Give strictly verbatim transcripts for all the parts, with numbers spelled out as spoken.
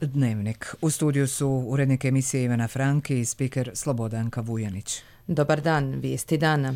Dnevnik. U studiju su urednik emisije Ivana Franki i spiker Slobodanka Vujanić. Dobar dan, vijesti dana.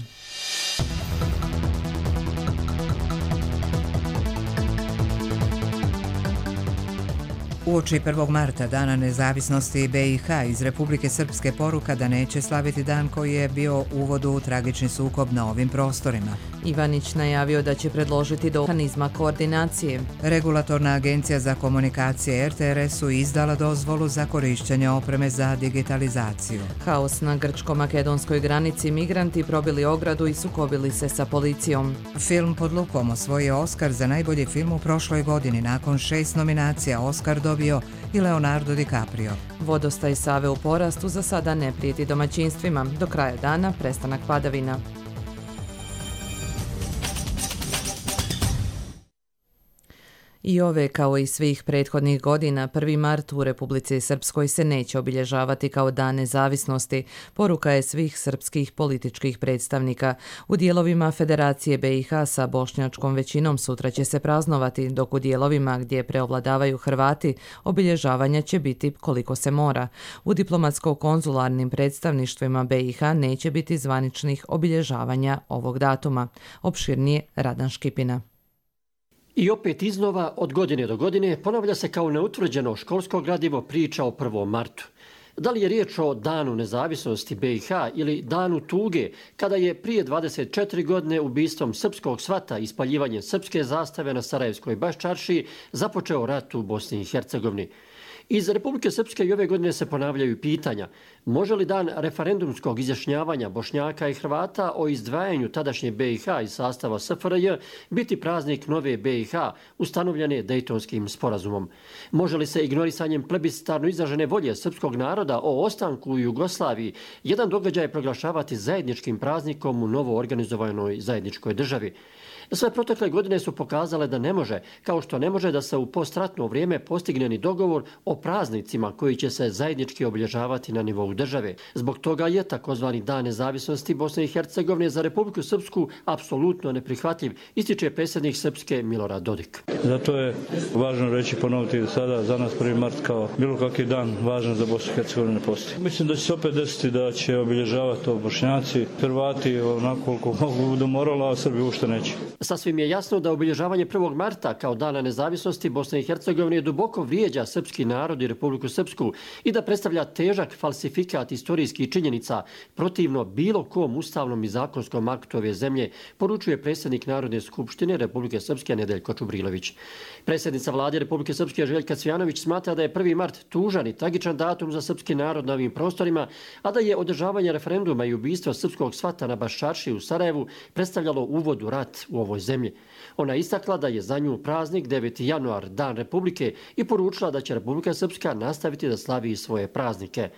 Uoči prvog marta, Dana nezavisnosti B i H, iz Republike Srpske poruka da neće slaviti dan koji je bio uvod u tragični sukob na ovim prostorima. Ivanić najavio da će predložiti do mehanizma koordinacije. Regulatorna agencija za komunikacije R T R S-u izdala dozvolu za korištenje opreme za digitalizaciju. Haos na grčko-makedonskoj granici, migranti probili ogradu i sukobili se sa policijom. Film Pod lupom osvojio Oskar za najbolji film u prošloj godini. Nakon šest nominacija Oskar dobio i Leonardo DiCaprio. Vodostaj Save u porastu, za sada ne prijeti domaćinstvima. Do kraja dana prestanak padavina. I ove, kao i svih prethodnih godina, prvi mart u Republici Srpskoj se neće obilježavati kao dan nezavisnosti, poruka je svih srpskih političkih predstavnika. U dijelovima Federacije B i H sa bošnjačkom većinom sutra će se praznovati, dok u dijelovima gdje preovladavaju Hrvati obilježavanja će biti koliko se mora. U diplomatsko-konzularnim predstavništvima B i H neće biti zvaničnih obilježavanja ovog datuma. Opširnije Radan Škipina. I opet iznova, od godine do godine, ponavlja se kao neutvrđeno školsko gradivo priča o prvom martu. Da li je riječ o danu nezavisnosti B i H ili danu tuge, kada je prije dvadeset četiri godine ubistvom srpskog svata i spaljivanjem srpske zastave na Sarajevskoj Baščaršiji započeo rat u Bosni i Hercegovini? Iz Republike Srpske i ove godine se ponavljaju pitanja. Može li dan referendumskog izjašnjavanja Bošnjaka i Hrvata o izdvajanju tadašnje B i H iz sastava S F R J biti praznik nove B i H ustanovljene Dejtonskim sporazumom? Može li se ignorisanjem plebiscitarno izražene volje srpskog naroda o ostanku u Jugoslaviji jedan događaj proglašavati zajedničkim praznikom u novo organizovanoj zajedničkoj državi? Sve protekle godine su pokazale da ne može, kao što ne može da se u postratno vrijeme postigne ni dogovor o praznicima koji će se zajednički obilježavati na nivou države. Zbog toga je takozvani Dan nezavisnosti Bosne i Hercegovine za Republiku Srpsku apsolutno neprihvatljiv, ističe predsjednik Srpske Milorad Dodik. Zato je važno reći, ponoviti sada za nas prvi mart kao bilo kakav dan važan za Bosnu i Hercegovinu ne postoji. Mislim da će se opet desiti da će obilježavati to Bošnjaci, Hrvati onako koliko mogu do morala, a Srbi ušte neće. Sasvim je jasno da obilježavanje prvog marta kao dana nezavisnosti Bosne i Hercegovine duboko vrijeđa srpski narod i Republiku Srpsku i da predstavlja težak falsifikat istorijskih činjenica protivno bilo kom ustavnom i zakonskom aktu ove zemlje, poručuje predsjednik Narodne skupštine Republike Srpske Nedeljko Čubrilović. Predsjednica vlade Republike Srpske Željka Cvijanović smatra da je prvi mart tužan i tragičan datum za srpski narod na ovim prostorima, a da je održavanje referenduma i ubistvo srpskog svata na Baščaršiji u Sarajevu predstavljalo uvod u rat u ovoj zemlji. Ona istakla da je za nju praznik deveti januar, Dan Republike, i poručila da će Republika Srpska nastaviti da slavi svoje praznike.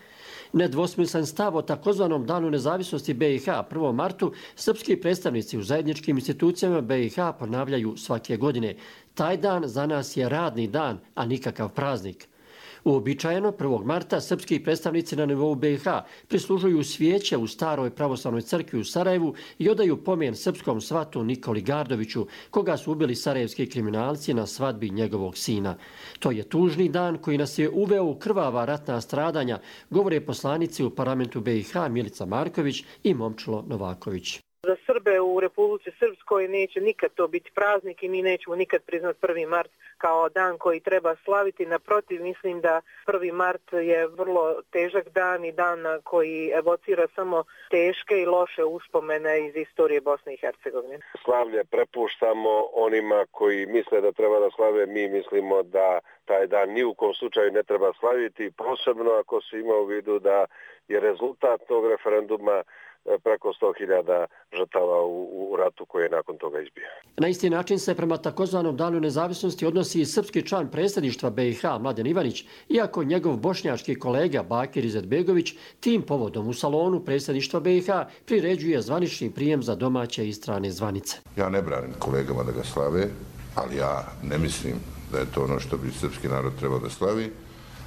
Nedvosmislen stav o takozvanom Danu nezavisnosti B i H prvom martu srpski predstavnici u zajedničkim institucijama B i H ponavljaju svake godine. Taj dan za nas je radni dan, a nikakav praznik. Uobičajeno prvog marta srpski predstavnici na nivou B i H prislužuju svijeće u staroj pravoslavnoj crkvi u Sarajevu i odaju pomen srpskom svatu Nikoli Gardoviću, koga su ubili sarajevski kriminalci na svadbi njegovog sina. To je tužni dan koji nas je uveo u krvava ratna stradanja, govore poslanici u parlamentu B i H Milica Marković i Momčilo Novaković. Za Srbe u Republici Srpskoj neće nikad to biti praznik i mi nećemo nikad priznati prvi mart kao dan koji treba slaviti. Naprotiv, mislim da prvi mart je vrlo težak dan i dan koji evocira samo teške i loše uspomene iz istorije Bosne i Hercegovine. Slavlje prepuštamo onima koji misle da treba da slave, mi mislimo da taj dan ni u kom slučaju ne treba slaviti, posebno ako se ima u vidu da je rezultat tog referenduma preko sto hiljada žrtava u, u ratu koji je nakon toga izbio. Na isti način se prema takozvanom Danu nezavisnosti odnosi i srpski član predsjedništva B i H Mladen Ivanić, iako njegov bošnjački kolega Bakir Izetbegović tim povodom u salonu predsjedništva B i H priređuje zvanični prijem za domaće i strane zvanice. Ja ne branim kolegama da ga slave, ali ja ne mislim da je to ono što bi srpski narod trebao da slavi,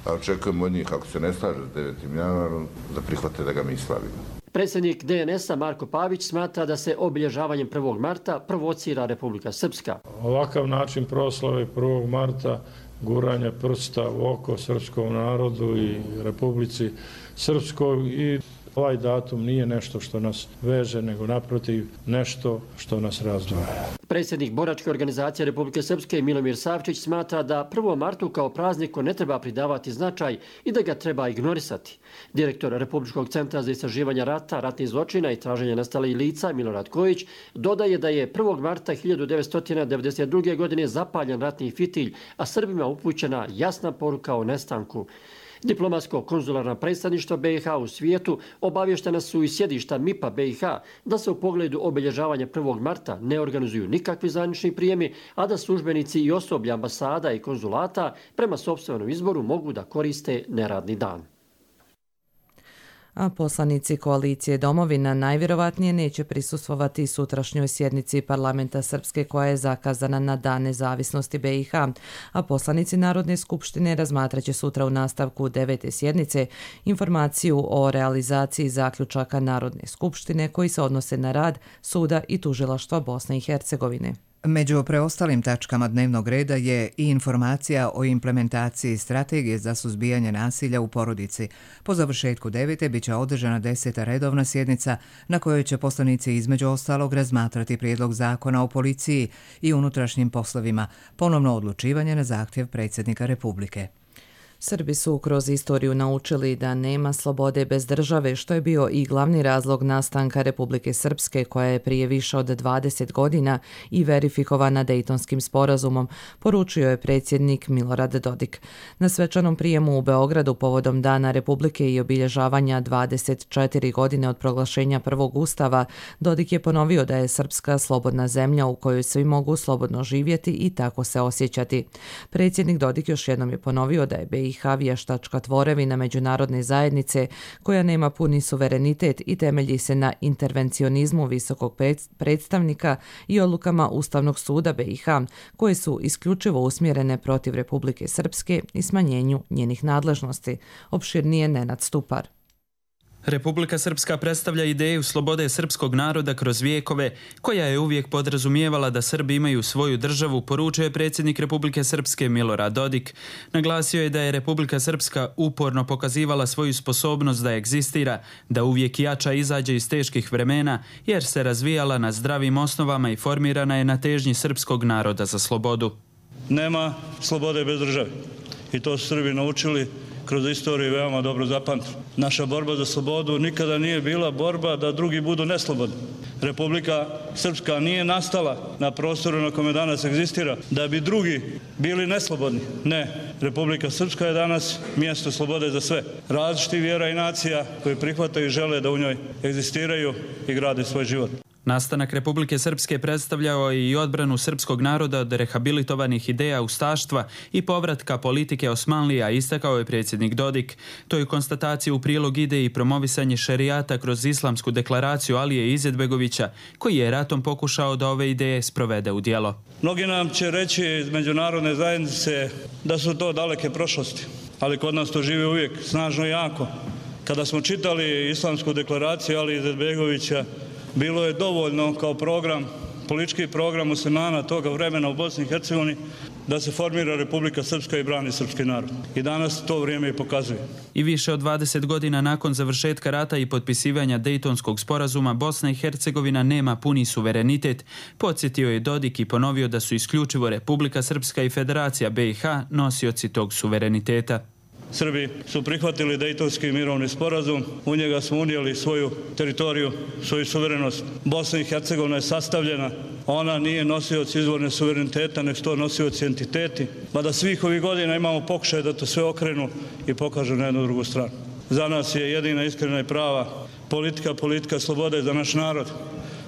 a očekujem od njih, ako se ne slaže s devetim januarom, da prihvate da ga mi slavimo. Predsjednik D N S-a Marko Pavić smatra da se obilježavanjem prvog marta provocira Republika Srpska. Ovakav način proslave prvog marta guranja prsta u oko srpskom narodu i Republici Srpskoj i ovaj datum nije nešto što nas veže, nego naprotiv nešto što nas razdvaja. Predsjednik Boračke organizacije Republike Srpske Milomir Savčić smatra da prvom martu kao prazniku ne treba pridavati značaj i da ga treba ignorisati. Direktor Republičkog centra za istraživanje rata, ratnih zločina i traženja nestalih lica Milorad Kojić dodaje da je prvog marta hiljadu devetsto devedeset druge. godine zapaljen ratni fitilj, a Srbima upućena jasna poruka o nestanku. Diplomatsko-konzularna predstavništva B i H u svijetu obavještena su i sjedišta M I P-a B i H da se u pogledu obilježavanja prvog marta ne organizuju nikakvi zvanični prijemi, a da službenici i osoblje ambasada i konzulata prema sopstvenom izboru mogu da koriste neradni dan. A poslanici koalicije Domovina najvjerovatnije neće prisustvovati sutrašnjoj sjednici parlamenta Srpske koja je zakazana na Dan nezavisnosti B i H, a poslanici Narodne skupštine razmatraće sutra u nastavku devete sjednice informaciju o realizaciji zaključaka Narodne skupštine koji se odnose na rad suda i tužilaštva Bosne i Hercegovine. Među preostalim tačkama dnevnog reda je i informacija o implementaciji strategije za suzbijanje nasilja u porodici. Po završetku devete biće održana deseta redovna sjednica na kojoj će poslanici između ostalog razmatrati prijedlog zakona o policiji i unutrašnjim poslovima, ponovno odlučivanje na zahtjev predsjednika Republike. Srbi su kroz istoriju naučili da nema slobode bez države, što je bio i glavni razlog nastanka Republike Srpske, koja je prije više od dvadeset godina i verifikovana Dejtonskim sporazumom, poručio je predsjednik Milorad Dodik. Na svečanom prijemu u Beogradu povodom Dana Republike i obilježavanja dvadeset četiri godine od proglašenja prvog ustava, Dodik je ponovio da je Srpska slobodna zemlja u kojoj svi mogu slobodno živjeti i tako se osjećati. Predsjednik Dodik još jednom je ponovio da je B i H vještačka tvorevina međunarodne zajednice koja nema puni suverenitet i temelji se na intervencionizmu visokog predstavnika i odlukama Ustavnog suda B i H koje su isključivo usmjerene protiv Republike Srpske i smanjenju njenih nadležnosti. Opširnije Nenad Stupar. Republika Srpska predstavlja ideju slobode srpskog naroda kroz vijekove, koja je uvijek podrazumijevala da Srbi imaju svoju državu, poručio je predsjednik Republike Srpske Milorad Dodik. Naglasio je da je Republika Srpska uporno pokazivala svoju sposobnost da egzistira, da uvijek jača izađe iz teških vremena, jer se razvijala na zdravim osnovama i formirana je na težnji srpskog naroda za slobodu. Nema slobode bez države i to su Srbi naučili kroz istoriju veoma dobro zapamtili. Naša borba za slobodu nikada nije bila borba da drugi budu neslobodni. Republika Srpska nije nastala na prostoru na kome danas egzistira da bi drugi bili neslobodni. Ne, Republika Srpska je danas mjesto slobode za sve. Različiti vjera i nacija koji prihvataju i žele da u njoj egzistiraju i grade svoj život. Nastanak Republike Srpske predstavljao je i odbranu srpskog naroda od rehabilitovanih ideja ustaštva i povratka politike Osmanlija, istakao je predsjednik Dodik. To je konstatacija u prilog ide i promovisanje šerijata kroz islamsku deklaraciju Alije Izetbegovića, koji je ratom pokušao da ove ideje sprovede u djelo. Mnogi nam će reći iz međunarodne zajednice da su to daleke prošlosti, ali kod nas to živi uvijek snažno i jako. Kada smo čitali islamsku deklaraciju Alije Izetbegovića, bilo je dovoljno kao program, politički program muslimana toga vremena u Bosni i Hercegovini da se formira Republika Srpska i brani srpski narod. I danas to vrijeme i pokazuje. I više od dvadeset godina nakon završetka rata i potpisivanja Dejtonskog sporazuma, Bosna i Hercegovina nema puni suverenitet, podsjetio je Dodik i ponovio da su isključivo Republika Srpska i Federacija B i H nosioci tog suvereniteta. Srbi su prihvatili Dejtonski mirovni sporazum, u njega smo unijeli svoju teritoriju, svoju suverenost. Bosna i Hercegovina je sastavljena, ona nije nosioc izvorne suvereniteta, nek su to nosioci entiteti, mada svih ovih godina imamo pokušaj da to sve okrenu i pokažu na jednu drugu stranu. Za nas je jedina iskrena i prava politika, politika slobode za naš narod,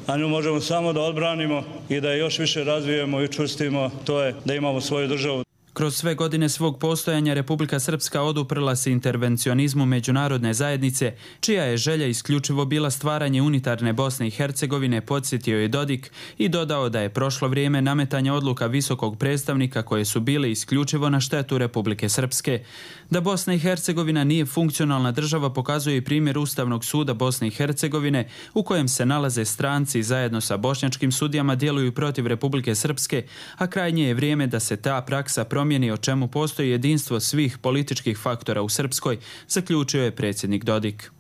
a nju možemo samo da odbranimo i da je još više razvijemo i učvrstimo, to je da imamo svoju državu. Kroz sve godine svog postojanja Republika Srpska oduprla se intervencionizmu međunarodne zajednice, čija je želja isključivo bila stvaranje unitarne Bosne i Hercegovine, podsjetio je Dodik i dodao da je prošlo vrijeme nametanja odluka visokog predstavnika koje su bile isključivo na štetu Republike Srpske. Da Bosna i Hercegovina nije funkcionalna država pokazuje i primjer Ustavnog suda Bosne i Hercegovine, u kojem se nalaze stranci zajedno sa bošnjačkim sudijama djeluju protiv Republike Srpske, a krajnje je vrijeme da se ta praksa promijeni promijeni, o čemu postoji jedinstvo svih političkih faktora u Srpskoj, zaključio je predsjednik Dodik.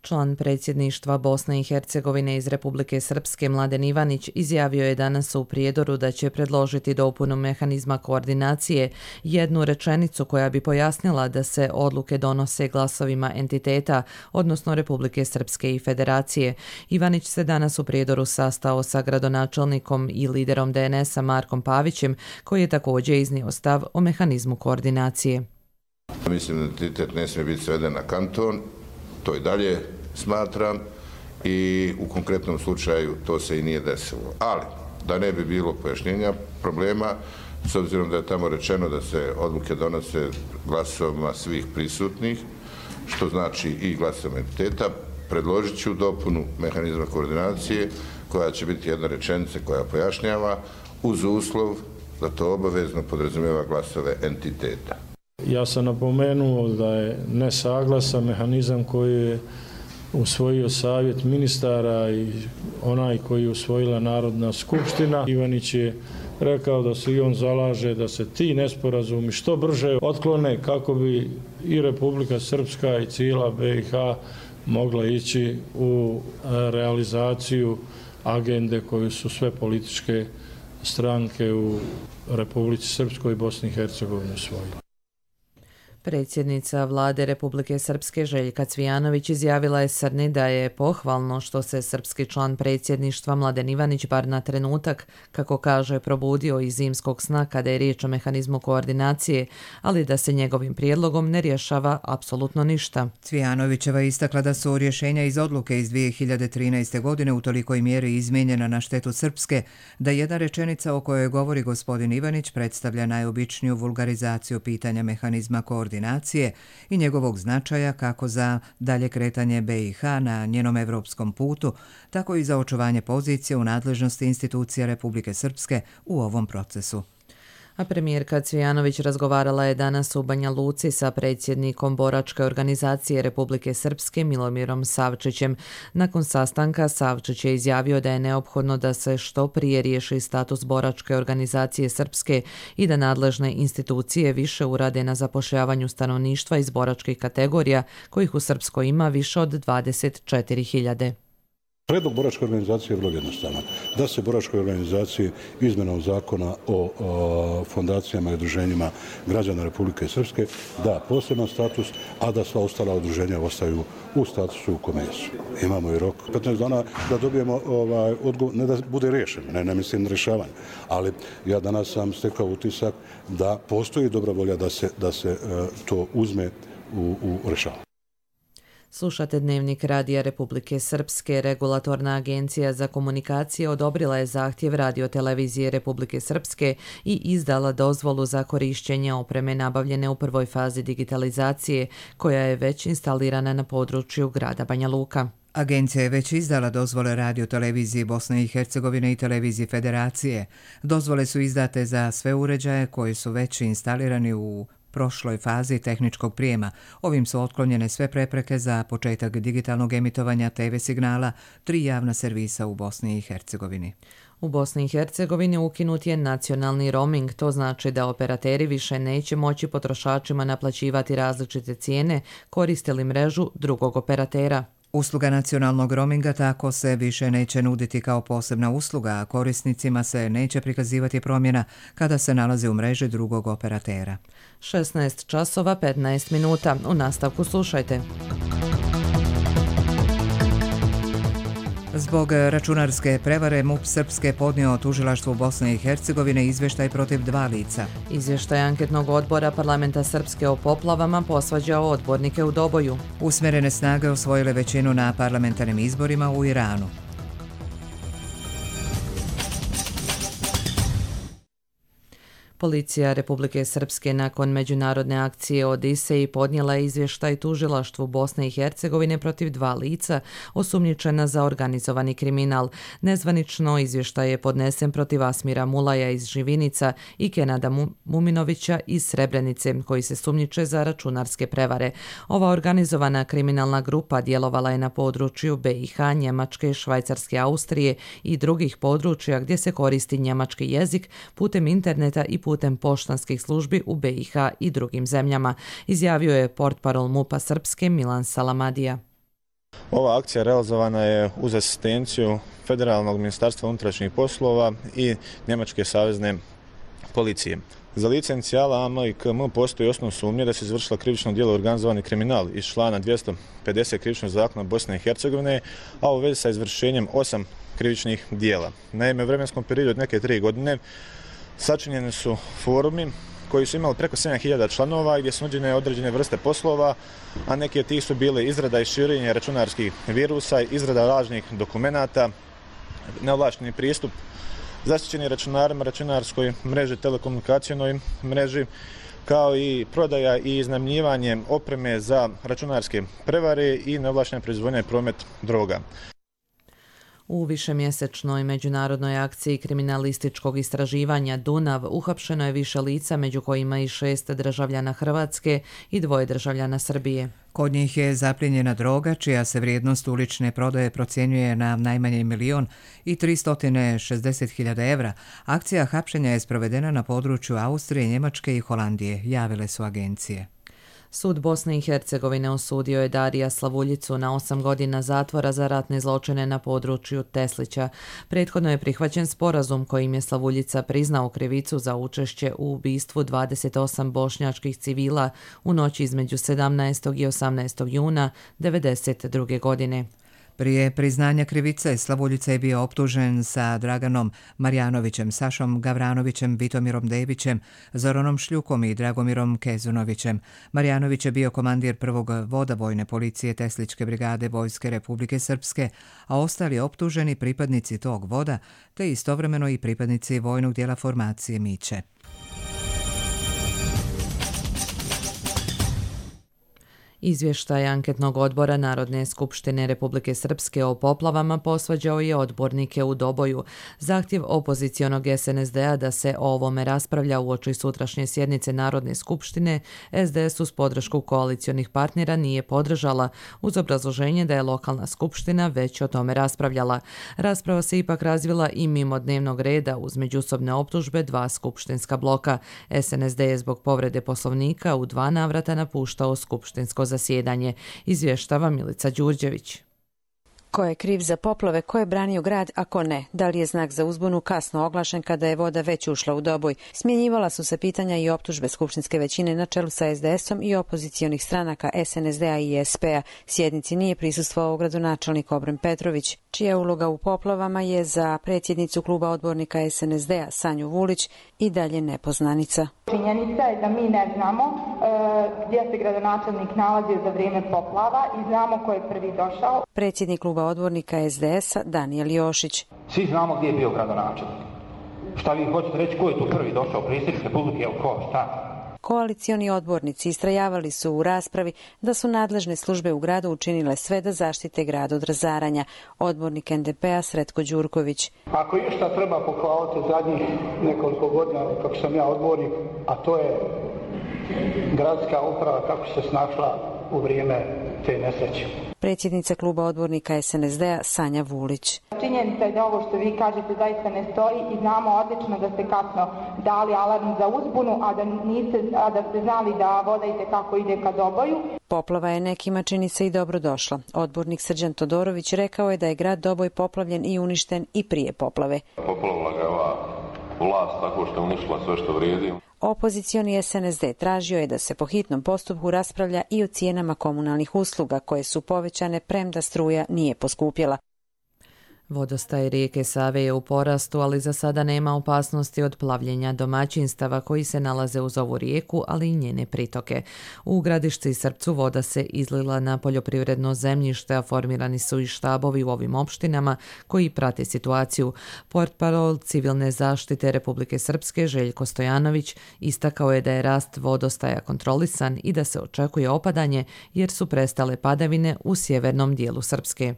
Član predsjedništva Bosne i Hercegovine iz Republike Srpske Mladen Ivanić izjavio je danas u Prijedoru da će predložiti dopunu mehanizma koordinacije, jednu rečenicu koja bi pojasnila da se odluke donose glasovima entiteta, odnosno Republike Srpske i Federacije. Ivanić se danas u Prijedoru sastao sa gradonačelnikom i liderom D N S-a Markom Pavićem, koji je također iznio stav o mehanizmu koordinacije. Mislim da entitet ne smije biti sveden na kanton. To i dalje smatram i u konkretnom slučaju to se i nije desilo. Ali, da ne bi bilo pojašnjenja problema, s obzirom da je tamo rečeno da se odluke donose glasovima svih prisutnih, što znači i glasom entiteta, predložit ću dopunu mehanizma koordinacije koja će biti jedna rečenica koja pojašnjava uz uslov da to obavezno podrazumijeva glasove entiteta. Ja sam napomenuo da je nesaglasan mehanizam koji je usvojio savjet ministara i onaj koji je usvojila Narodna skupština. Ivanić je rekao da se i on zalaže da se ti nesporazumi što brže otklone kako bi i Republika Srpska i cijela B i H mogla ići u realizaciju agende koju su sve političke stranke u Republici Srpskoj i Bosni i Hercegovini usvojile. Predsjednica vlade Republike Srpske Željka Cvijanović izjavila je Srni da je pohvalno što se srpski član predsjedništva Mladen Ivanić bar na trenutak, kako kaže, probudio iz zimskog sna kada je riječ o mehanizmu koordinacije, ali da se njegovim prijedlogom ne rješava apsolutno ništa. Cvijanovićeva istakla da su rješenja iz odluke iz dvije hiljade trinaeste. godine u tolikoj mjeri izmijenjena na štetu Srpske, da jedna rečenica o kojoj govori gospodin Ivanić predstavlja najobičniju vulgarizaciju pitanja mehanizma koordinacije i njegovog značaja kako za dalje kretanje B i H na njenom evropskom putu, tako i za očuvanje pozicije u nadležnosti institucija Republike Srpske u ovom procesu. A premijerka Cvijanović razgovarala je danas u Banja Luci sa predsjednikom Boračke organizacije Republike Srpske Milomirom Savčićem. Nakon sastanka Savčić je izjavio da je neophodno da se što prije riješi status Boračke organizacije Srpske i da nadležne institucije više urade na zapošljavanju stanovništva iz boračkih kategorija, kojih u Srpskoj ima više od dvadeset četiri hiljade. Predlog boračke organizacije je vrlo jednostavan. Da se boračkoj organizaciji izmjenom zakona o, o fondacijama i udruženjima građana Republike Srpske da poseban status, a da sva ostala udruženja ostaju u statusu u kome jesu. Imamo i rok petnaest dana da dobijemo ovaj, odgovor, ne da bude riješen, ne, ne mislim na rješavanje, ali ja danas sam stekao utisak da postoji dobra volja da se, da se uh, to uzme u, u rješavanje. Slušate Dnevnik Radija Republike Srpske. Regulatorna agencija za komunikacije odobrila je zahtjev radiotelevizije Republike Srpske i izdala dozvolu za korišćenje opreme nabavljene u prvoj fazi digitalizacije, koja je već instalirana na području grada Banja Luka. Agencija je već izdala dozvole radioteleviziji Bosne i Hercegovine i televiziji Federacije. Dozvole su izdate za sve uređaje koji su već instalirani u prošloj fazi tehničkog prijema. Ovim su otklonjene sve prepreke za početak digitalnog emitovanja te ve signala tri javna servisa u Bosni i Hercegovini. U Bosni i Hercegovini ukinut je nacionalni roaming, to znači da operateri više neće moći potrošačima naplaćivati različite cijene koristili mrežu drugog operatera. Usluga nacionalnog roaminga tako se više neće nuditi kao posebna usluga, a korisnicima se neće prikazivati promjena kada se nalaze u mreži drugog operatera. šesnaest časova petnaest minuta. U nastavku slušajte. Zbog računarske prevare MUP Srpske podnio tužilaštvu Bosne i Hercegovine izvještaj protiv dva lica. Izvještaj anketnog odbora Parlamenta Srpske o poplavama posvađao odbornike u Doboju. Usmjerene snage osvojile većinu na parlamentarnim izborima u Iranu. Policija Republike Srpske nakon međunarodne akcije Odiseji podnijela je izvještaj tužilaštvu Bosne i Hercegovine protiv dva lica osumnjičena za organizovani kriminal. Nezvanično izvještaj je podnesen protiv Asmira Mulaja iz Živinica i Kenada Muminovića iz Srebrenice, koji se sumnjiče za računarske prevare. Ova organizovana kriminalna grupa djelovala je na području B i H, Njemačke, Švajcarske, Austrije i drugih područja gdje se koristi njemački jezik putem interneta i putem putem poštanskih službi u B i H i drugim zemljama, izjavio je portparol MUP-a Srpske Milan Salamadija. Ova akcija realizovana je uz asistenciju Federalnog ministarstva unutrašnjih poslova i Njemačke savezne policije. Za lice inicijala A M i K M postoji osnov sumnje da se izvršila krivično djelo organizovani kriminal iz člana dvjesto pedeset krivičnog zakona Bosne i Hercegovine, a u vezi sa izvršenjem osam krivičnih djela. Naime, u vremenskom periodu od neke tri godine sačinjeni su forumi koji su imali preko sedam hiljada članova i gdje su nuđene određene vrste poslova, a neki od tih su bile izrada i širenje računarskih virusa, izrada lažnih dokumenata, neovlašteni pristup zaštićeni računarima, računarskoj mreži, telekomunikacijnoj mreži, kao i prodaja i iznajmljivanje opreme za računarske prevare i neovlaštena proizvodnja i promet droga. U višemjesečnoj međunarodnoj akciji kriminalističkog istraživanja Dunav uhapšeno je više lica, među kojima i šest državljana Hrvatske i dvoje državljana Srbije. Kod njih je zaplijenjena droga, čija se vrijednost ulične prodaje procjenjuje na najmanje milion i tristo šezdeset hiljada evra. Akcija hapšenja je sprovedena na području Austrije, Njemačke i Holandije, javile su agencije. Sud Bosne i Hercegovine osudio je Darija Slavuljicu na osam godina zatvora za ratne zločine na području Teslića. Prethodno je prihvaćen sporazum kojim je Slavuljica priznao krivicu za učešće u ubistvu dvadeset osam bošnjačkih civila u noći između sedamnaestog i osamnaestog juna devedeset druge godine. Prije priznanja krivice, Slavuljica je bio optužen sa Draganom Marjanovićem, Sašom Gavranovićem, Vitomirom Devićem, Zoranom Šljukom i Dragomirom Kezunovićem. Marjanović je bio komandir prvog voda vojne policije Tesličke brigade Vojske Republike Srpske, a ostali optuženi pripadnici tog voda, te istovremeno i pripadnici vojnog dijela formacije Miće. Izvještaj anketnog odbora Narodne skupštine Republike Srpske o poplavama posvađao je odbornike u Doboju. Zahtjev opozicionog S N S D-a da se o ovome raspravlja uoči sutrašnje sjednice Narodne skupštine, S D S uz podršku koalicionih partnera nije podržala, uz obrazloženje da je lokalna skupština već o tome raspravljala. Rasprava se ipak razvila i mimo dnevnog reda uz međusobne optužbe dva skupštinska bloka. S N S D je zbog povrede poslovnika u dva navrata napuštao skupštinsko zasjedanje, izvještava Milica Đurđević. Ko je kriv za poplave, ko je branio grad, a ko ne? Da li je znak za uzbunu kasno oglašen kada je voda već ušla u Doboj? Smjenjivala su se pitanja i optužbe skupštinske većine na čelu sa S D S-om i opozicionih stranaka S N S D-a i S P-a. Sjednici nije prisustvovao gradonačelnik Obren Petrović, čija uloga u poplavama je za predsjednicu kluba odbornika S N S D-a Sanju Vulić i dalje nepoznanica. Činjenica je da mi ne znamo e, gdje se gradonačelnik nalazio za vrijeme poplava i znamo ko je prvi došao. Predsjednik kluba odbornika S D S-a Danijel Jošić. Svi znamo gdje je bio gradonačelnik. Šta vi hoćete reći, ko je tu prvi došao? Predsjednik Republike, ili ko? Šta? Koalicioni odbornici istrajavali su u raspravi da su nadležne službe u gradu učinile sve da zaštite grad od razaranja. Odbornik N D P-a Sretko Đurković. Ako išta treba pohvaliti zadnjih nekoliko godina kako sam ja odbornik, a to je gradska uprava kako se snašla u vrijeme te nesreće. Predsjednica kluba odbornika S N S D-a Sanja Vulić. Činjenica je da ovo što vi kažete zaista ne stoji i znamo odlično da ste kasno dali alarm za uzbunu, a da, niste, a da ste znali da voda itekako ide ka Doboju. Poplava je nekima čini se i dobro došla. Odbornik Srđan Todorović rekao je da je grad Doboj poplavljen i uništen i prije poplave. Poplavila ga ova vlast tako što je uništila sve što vrijedi. Opozicioni S N S D tražio je da se po hitnom postupku raspravlja i o cijenama komunalnih usluga koje su povećane premda struja nije poskupjela. Vodostaj rijeke Save je u porastu, ali za sada nema opasnosti od plavljenja domaćinstava koji se nalaze uz ovu rijeku, ali i njene pritoke. U Gradišci i Srpcu voda se izlila na poljoprivredno zemljište, a formirani su i štabovi u ovim opštinama koji prate situaciju. Portparol civilne zaštite Republike Srpske Željko Stojanović istakao je da je rast vodostaja kontrolisan i da se očekuje opadanje jer su prestale padavine u sjevernom dijelu Srpske.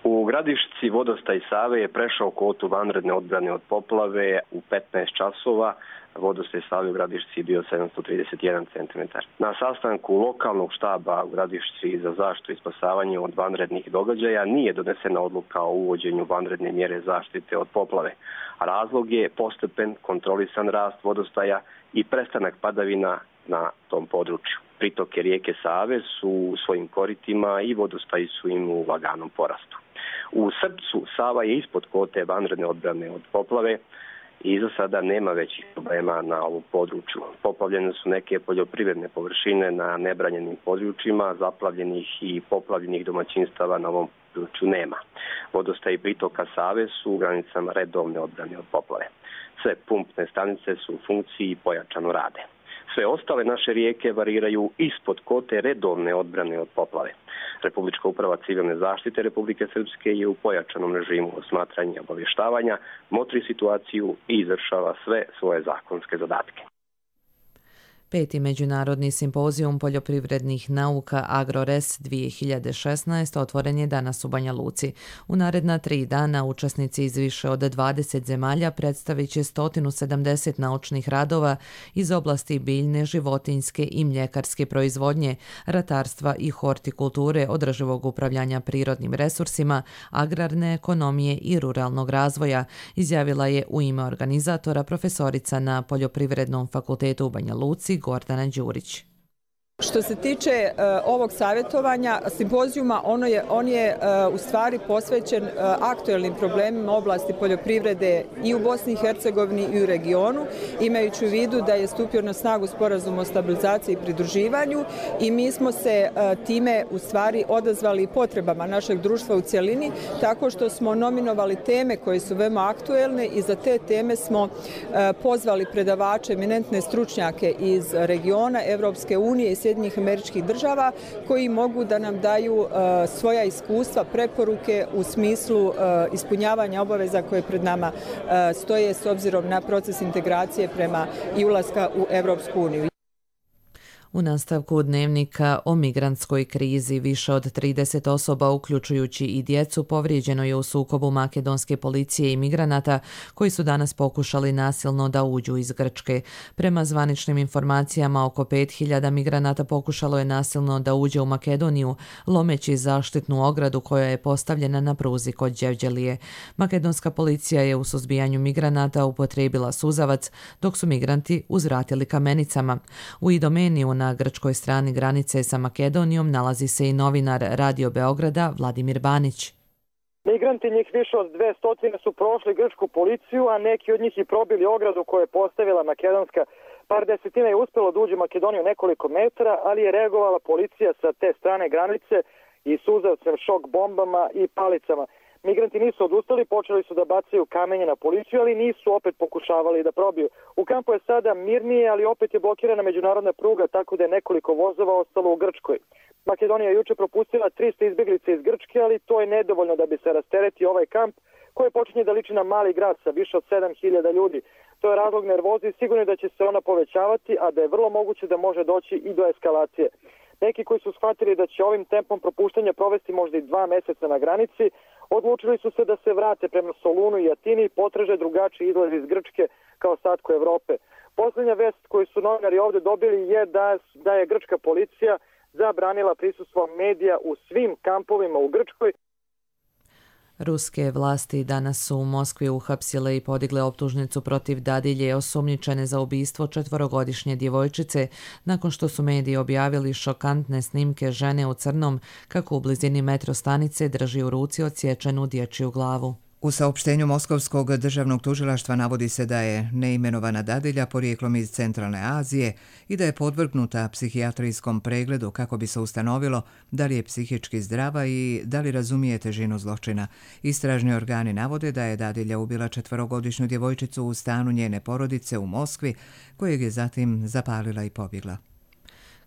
U Gradišci vodostaj Save je prešao kvotu vanredne odbrane od poplave u petnaest časova. vodostaj Save u Gradišci bio sedamsto trideset jedan centimetar. Na sastanku lokalnog štaba u Gradišci za zaštitu i spasavanje od vanrednih događaja nije donesena odluka o uvođenju vanredne mjere zaštite od poplave. Razlog je postepen kontrolisan rast vodostaja i prestanak padavina na tom području. Pritoke rijeke Save su u svojim koritima i vodostaji su im u laganom porastu. U srcu Sava je ispod kote vanredne odbrane od poplave i za sada nema većih problema na ovom području. Poplavljene su neke poljoprivredne površine na nebranjenim područjima, zaplavljenih i poplavljenih domaćinstava na ovom području nema. Vodostaj pritoka Save su u granicama redovne odbrane od poplave. Sve pumpne stanice su u funkciji i pojačano rade. Sve ostale naše rijeke variraju ispod kote redovne odbrane od poplave. Republička uprava civilne zaštite Republike Srpske je u pojačanom režimu osmatranja i obavještavanja, motri situaciju i izvršava sve svoje zakonske zadatke. Peti međunarodni simpozijum poljoprivrednih nauka AgroRes dvije hiljade šesnaest otvoren je danas u Banja Luci. U naredna tri dana učesnici iz više od dvadeset zemalja predstavit će sto sedamdeset naučnih radova iz oblasti biljne, životinjske i mljekarske proizvodnje, ratarstva i hortikulture, održivog upravljanja prirodnim resursima, agrarne ekonomije i ruralnog razvoja, izjavila je u ime organizatora profesorica na Poljoprivrednom fakultetu u Banja Luci Gordana Đurić. Što se tiče uh, ovog savjetovanja, simpozijuma, ono je, on je uh, u stvari posvećen uh, aktuelnim problemima oblasti poljoprivrede i u Bosni i Hercegovini i u regionu, imajući u vidu da je stupio na snagu sporazum o stabilizaciji i pridruživanju i mi smo se uh, time u stvari odazvali potrebama našeg društva u cjelini, tako što smo nominovali teme koje su veoma aktuelne i za te teme smo uh, pozvali predavače, eminentne stručnjake iz regiona, Evropske unije i Sjedinjenih Američkih Država koji mogu da nam daju uh, svoja iskustva, preporuke u smislu uh, ispunjavanja obaveza koje pred nama uh, stoje s obzirom na proces integracije prema i ulaska u Evropsku uniju. U nastavku dnevnika o migrantskoj krizi više od trideset osoba, uključujući i djecu, povrijeđeno je u sukobu makedonske policije i migranata koji su danas pokušali nasilno da uđu iz Grčke. Prema zvaničnim informacijama, oko pet hiljada migranata pokušalo je nasilno da uđe u Makedoniju, lomeći zaštitnu ogradu koja je postavljena na pruzi kod Đevđelije. Makedonska policija je u suzbijanju migranata upotrijebila suzavac, dok su migranti uzvratili kamenicama. U Idomeniju na grčkoj strani granice sa Makedonijom nalazi se i novinar Radio Beograda Vladimir Banić. Migranti, njih više od dvesta, su prošli grčku policiju, a neki od njih i probili ogradu koju je postavila makedonska. Par desetina je uspjelo da uđe u Makedoniju nekoliko metara, ali je reagovala policija sa te strane granice i suzavcem, šok bombama i palicama. Migranti nisu odustali, počeli su da bacaju kamenje na policiju, ali nisu opet pokušavali da probiju. U kampu je sada mirnije, ali opet je blokirana međunarodna pruga, tako da je nekoliko vozova ostalo u Grčkoj. Makedonija je juče propustila trista izbjeglica iz Grčke, ali to je nedovoljno da bi se rasteretio ovaj kamp koji počinje da liči na mali grad sa više od sedam hiljada ljudi. To je razlog nervoze i sigurno da će se ona povećavati, a da je vrlo moguće da može doći i do eskalacije. Neki koji su shvatili da će ovim tempom propuštanja provesti možda i dva meseca na granici, odlučili su se da se vrate prema Solunu i Atini i potraže drugačiji izlaz iz Grčke kao ostatku Evrope. Posljednja vest koju su novinari ovdje dobili je da, da je grčka policija zabranila prisustvo medija u svim kampovima u Grčkoj. Ruske vlasti danas su u Moskvi uhapsile i podigle optužnicu protiv dadilje osumnjičene za ubistvo četvorogodišnje djevojčice nakon što su mediji objavili šokantne snimke žene u crnom kako u blizini metro stanice drži u ruci odsječenu dječju glavu. U saopštenju Moskovskog državnog tužilaštva navodi se da je neimenovana dadilja porijeklom iz Centralne Azije i da je podvrgnuta psihijatrijskom pregledu kako bi se ustanovilo da li je psihički zdrava i da li razumije težinu zločina. Istražni organi navode da je dadilja ubila četvorogodišnju djevojčicu u stanu njene porodice u Moskvi, kojeg je zatim zapalila i pobjegla.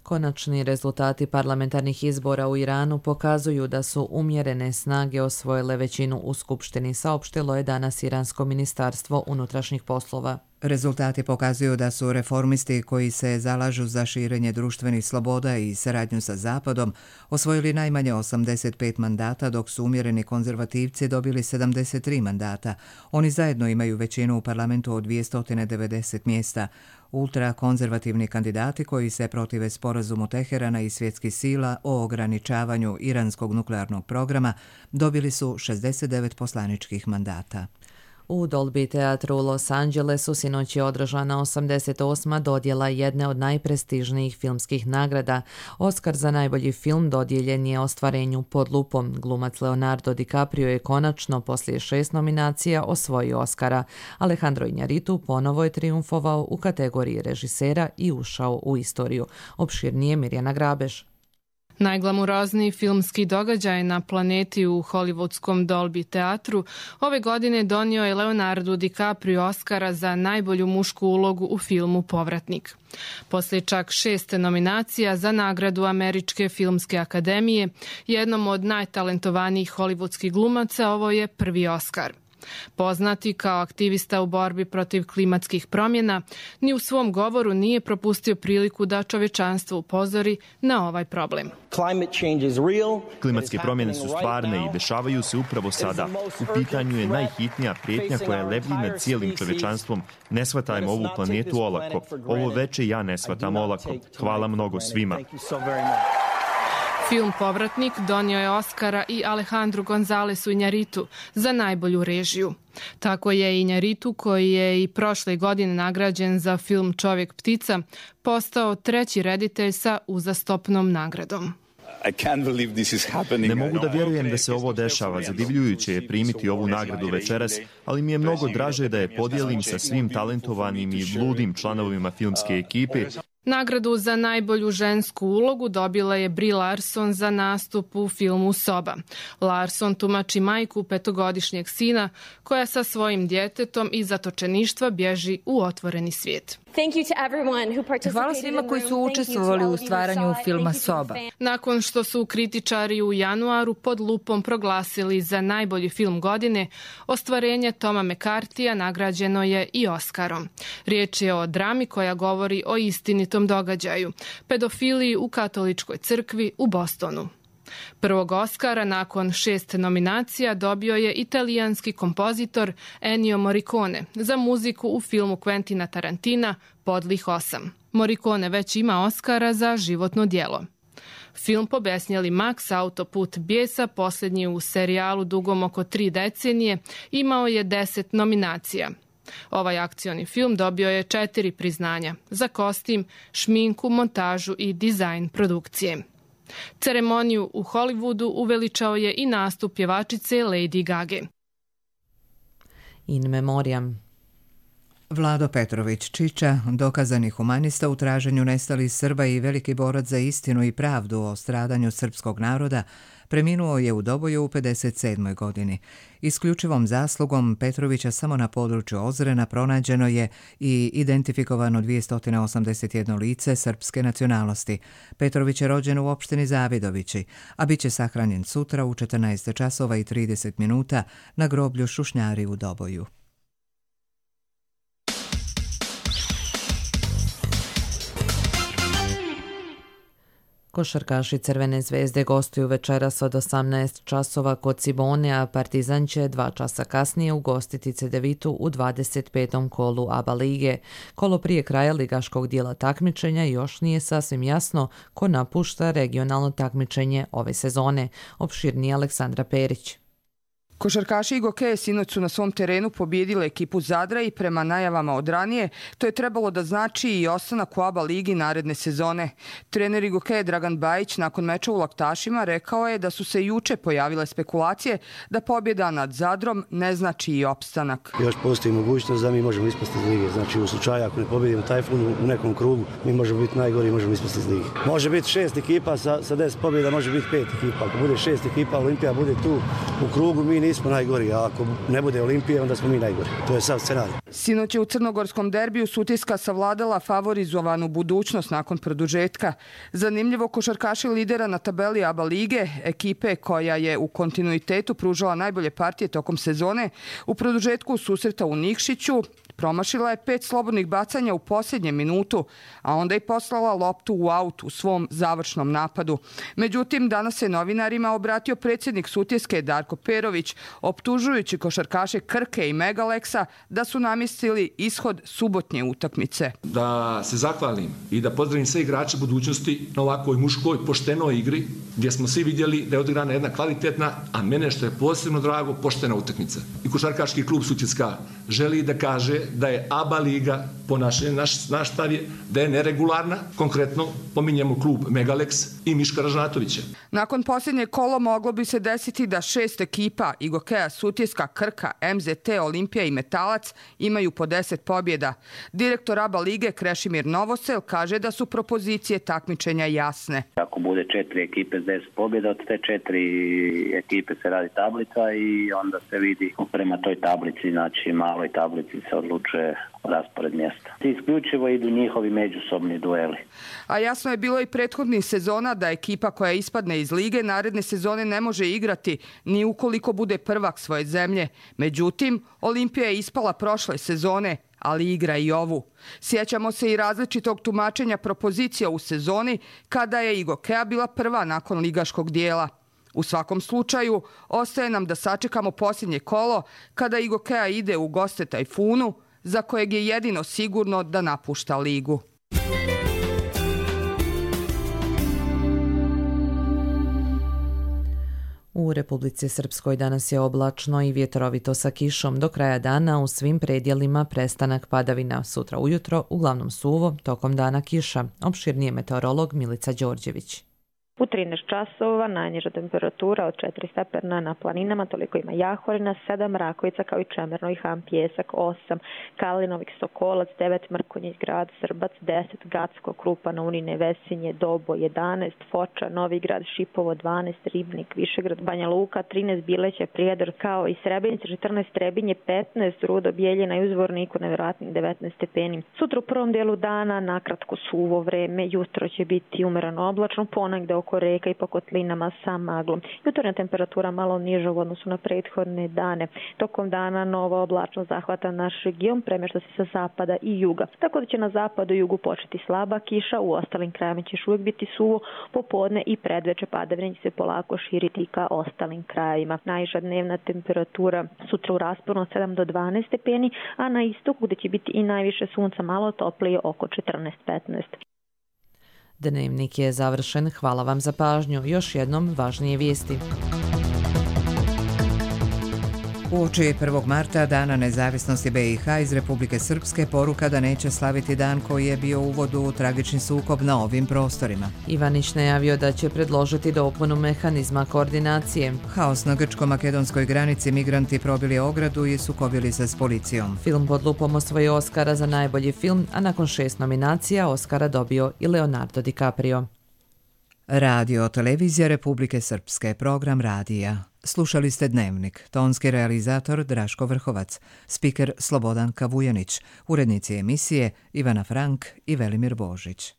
Konačni rezultati parlamentarnih izbora u Iranu pokazuju da su umjerene snage osvojile većinu u Skupštini, saopštilo je danas Iransko ministarstvo unutrašnjih poslova. Rezultati pokazuju da su reformisti koji se zalažu za širenje društvenih sloboda i saradnju sa Zapadom osvojili najmanje osamdeset pet mandata, dok su umjereni konzervativci dobili sedamdeset tri mandata. Oni zajedno imaju većinu u parlamentu od dvjesto devedeset mjesta. Ultrakonzervativni kandidati koji se protive sporazumu Teherana i svjetskih sila o ograničavanju iranskog nuklearnog programa dobili su šezdeset devet poslaničkih mandata. U Dolby teatru u Los Angelesu sinoć je održana osamdeset osma dodjela jedne od najprestižnijih filmskih nagrada. Oskar za najbolji film dodijeljen je Ostvarenju pod lupom. Glumac Leonardo DiCaprio je konačno poslije šest nominacija osvojio Oskara. Alejandro Iñárritu ponovo je triumfovao u kategoriji režisera i ušao u istoriju. Opširnije Mirjana Grabeš. Najglamurozniji filmski događaj na planeti u hollywoodskom Dolby teatru ove godine donio je Leonardo DiCaprio Oskara za najbolju mušku ulogu u filmu Povratnik. Poslije čak šest nominacija za nagradu Američke filmske akademije, jednom od najtalentovanijih hollywoodskih glumaca, ovo je prvi Oskar. Poznati kao aktivista u borbi protiv klimatskih promjena, ni u svom govoru nije propustio priliku da čovječanstvo upozori na ovaj problem. Klimatske promjene su stvarne i dešavaju se upravo sada. U pitanju je najhitnija prijetnja koja lebdi nad cijelim čovječanstvom. Ne shvatajmo ovu planetu olako. Ovo veče ja ne shvatam olako. Hvala mnogo svima. Film Povratnik donio je Oskara i Alejandru Gonzalesu Iñárritu za najbolju režiju. Tako je Iñárritu, koji je i prošle godine nagrađen za film Čovjek ptica, postao treći reditelj sa uzastopnom nagradom. Ne mogu da vjerujem da se ovo dešava. Zadivljujuće je primiti ovu nagradu večeras, ali mi je mnogo draže da je podijelim sa svim talentovanim i ludim članovima filmske ekipe. Nagradu za najbolju žensku ulogu dobila je Brie Larson za nastup u filmu Soba. Larson tumači majku petogodišnjeg sina koja sa svojim djetetom iz zatočeništva bježi u otvoreni svijet. Hvala svima koji su učestvovali u stvaranju filma Soba. Nakon što su kritičari u januaru pod lupom proglasili za najbolji film godine, ostvarenje Toma McCarthyja nagrađeno je i Oskarom. Riječ je o drami koja govori o istinitom događaju, pedofiliji u katoličkoj crkvi u Bostonu. Prvog Oskara nakon šest nominacija dobio je italijanski kompozitor Ennio Morricone za muziku u filmu Quentina Tarantina Podlih osam. Morricone već ima Oskara za životno djelo. Film Pobesnjeli Max, autoput bijesa, posljednji u serijalu dugom oko tri decenije, imao je deset nominacija. Ovaj akcioni film dobio je četiri priznanja za kostim, šminku, montažu i dizajn produkcije. Ceremoniju u Hollywoodu uveličao je i nastup pjevačice Lady Gage. In memoriam. Vlado Petrović Čiča, dokazani humanista u traženju nestalih Srba i veliki borac za istinu i pravdu o stradanju srpskog naroda, preminuo je u Doboju u pedeset sedmoj godini. Isključivom zaslugom Petrovića samo na području Ozrena pronađeno je i identifikovano dvjesto osamdeset jedno lice srpske nacionalnosti. Petrović je rođen u opštini Zavidovići, a bit će sahranjen sutra u četrnaest časova i trideset minuta na groblju Šušnjari u Doboju. Košarkaši Crvene zvezde gostuju večeras od osamnaest časova kod Cibone, a Partizan će dva časa kasnije ugostiti Cedevitu u dvadeset petom kolu A B A lige. Kolo prije kraja ligaškog dijela takmičenja još nije sasvim jasno ko napušta regionalno takmičenje ove sezone. Opširnije Aleksandra Perić. Košarkaši Igokeje sinoć su na svom terenu pobijedile ekipu Zadra i prema najavama od ranije, to je trebalo da znači i ostanak u A B A ligi naredne sezone. Trener Igokeje Dragan Bajić nakon meča u Laktašima rekao je da su se juče pojavile spekulacije da pobjeda nad Zadrom ne znači i opstanak. Još postoji mogućnost da mi možemo ispasti iz lige. Znači u slučaju ako ne pobjedimo Tajfun u nekom krugu, mi možemo biti najgori i možemo ispasti iz lige. Može biti šest ekipa sa, sa deset pobjeda, može biti pet ekipa. Ako bude šest ekipa, Olimpija bude tu u krugu, mi nismo najgori, a ako ne bude Olimpije, onda smo mi najgori. To je sav scenarij. Sinoć je u crnogorskom derbiju Sutjeska savladala favorizovanu budućnost nakon produžetka. Zanimljivo, košarkaši lidera na tabeli A B A lige, ekipe koja je u kontinuitetu pružala najbolje partije tokom sezone, u produžetku susreta u Nikšiću promašila je pet slobodnih bacanja u posljednjem minutu, a onda i poslala loptu u aut u svom završnom napadu. Međutim, danas se novinarima obratio predsjednik Sutjeske Darko Perović, optužujući košarkaše Krke i Megaleksa da su namjestili ishod subotnje utakmice. Da se zahvalim i da pozdravim sve igrače budućnosti na ovakvoj muškoj, poštenoj igri, gdje smo svi vidjeli da je odigrana jedna kvalitetna, a mene što je posebno drago, poštena utakmica. I košarkaški klub Sutjeska želi da kaže da je A B A liga, po naše, naš, naš stav je, da je neregularna, konkretno pominjemo klub Megalex i Miška Ražnatovića. Nakon posljednje kolo moglo bi se desiti da šest ekipa Igokeja, Sutjeska, Krka, M Z T, Olimpija i Metalac imaju po deset pobjeda. Direktor A B A lige Krešimir Novosel kaže da su propozicije takmičenja jasne. Ako bude četiri ekipe s deset pobjeda, od te četiri ekipe se radi tablica i onda se vidi prema toj tablici, znači maloj tablici se odlučuje raspored mjesta. Isključivo idu njihovi međusobni dueli. A jasno je bilo i prethodnih sezona da ekipa koja ispadne iz lige naredne sezone ne može igrati ni ukoliko bude prvak svoje zemlje. Međutim, Olimpija je ispala prošle sezone, ali igra i ovu. Sjećamo se i različitog tumačenja propozicija u sezoni kada je Igokeja bila prva nakon ligaškog dijela. U svakom slučaju, ostaje nam da sačekamo posljednje kolo kada Igokeja ide u goste Tajfunu, za kojeg je jedino sigurno da napušta ligu. U Republici Srpskoj danas je oblačno i vjetrovito sa kišom. Do kraja dana u svim predjelima prestanak padavina. Sutra ujutro uglavnom suvo, tokom dana kiša. Opširnije meteorolog Milica Đorđević. U trinaest časova najniža temperatura od četiri stepena na planinama, toliko ima Jahorina, sedam Rakovica kao i Čemerno i Ham Pjesak, osam Kalinovik Sokolac, devet Mrkonjić Grad, Srbac, deset Gacko, Krupa na Unine, Vesinje, Dobo, jedanaest Foča, Novigrad, Šipovo, dvanaest Ribnik, Višegrad, Banja Luka, trinaest Bileća, Prijedor kao i Srebrenica, četrnaest Trebinje, petnaest Rudo, Bjeljina i Uzvorniku, nevjerojatnih devetnaest stepeni. Sutra u prvom dijelu dana nakratko suvo vreme, jutro će biti umereno oblačno, ponegde oko reka i po kotlinama sa maglom. Jutarnja temperatura malo niža u odnosu na prethodne dane. Tokom dana nova oblačnost zahvata naš region, premješta se sa zapada i juga. Tako da će na zapadu i jugu početi slaba kiša, u ostalim krajima će uvijek biti suvo, popodne i predveče padavine će se polako širiti ka ostalim krajima. Najviša dnevna temperatura sutra u rasponu od sedam do dvanaest stepeni, a na istoku gdje će biti i najviše sunca malo toplije oko četrnaest petnaest. Dnevnik je završen. Hvala vam za pažnju. Još jednom važnije vijesti. Uoči prvog marta, Dana nezavisnosti B i H, iz Republike Srpske poruka da neće slaviti dan koji je bio uvod u tragični sukob na ovim prostorima. Ivanić najavio da će predložiti dopunu mehanizma koordinacije. Haos na grčko-makedonskoj granici, migranti probili ogradu i sukobili se s policijom. Film Pod lupom osvojio Oskara za najbolji film, a nakon šest nominacija Oskara dobio i Leonardo DiCaprio. Radio Televizija Republike Srpske, program radija. Slušali ste Dnevnik, tonski realizator Draško Vrhovac, spiker Slobodan Kavujanić, urednici emisije Ivana Frank i Velimir Božić.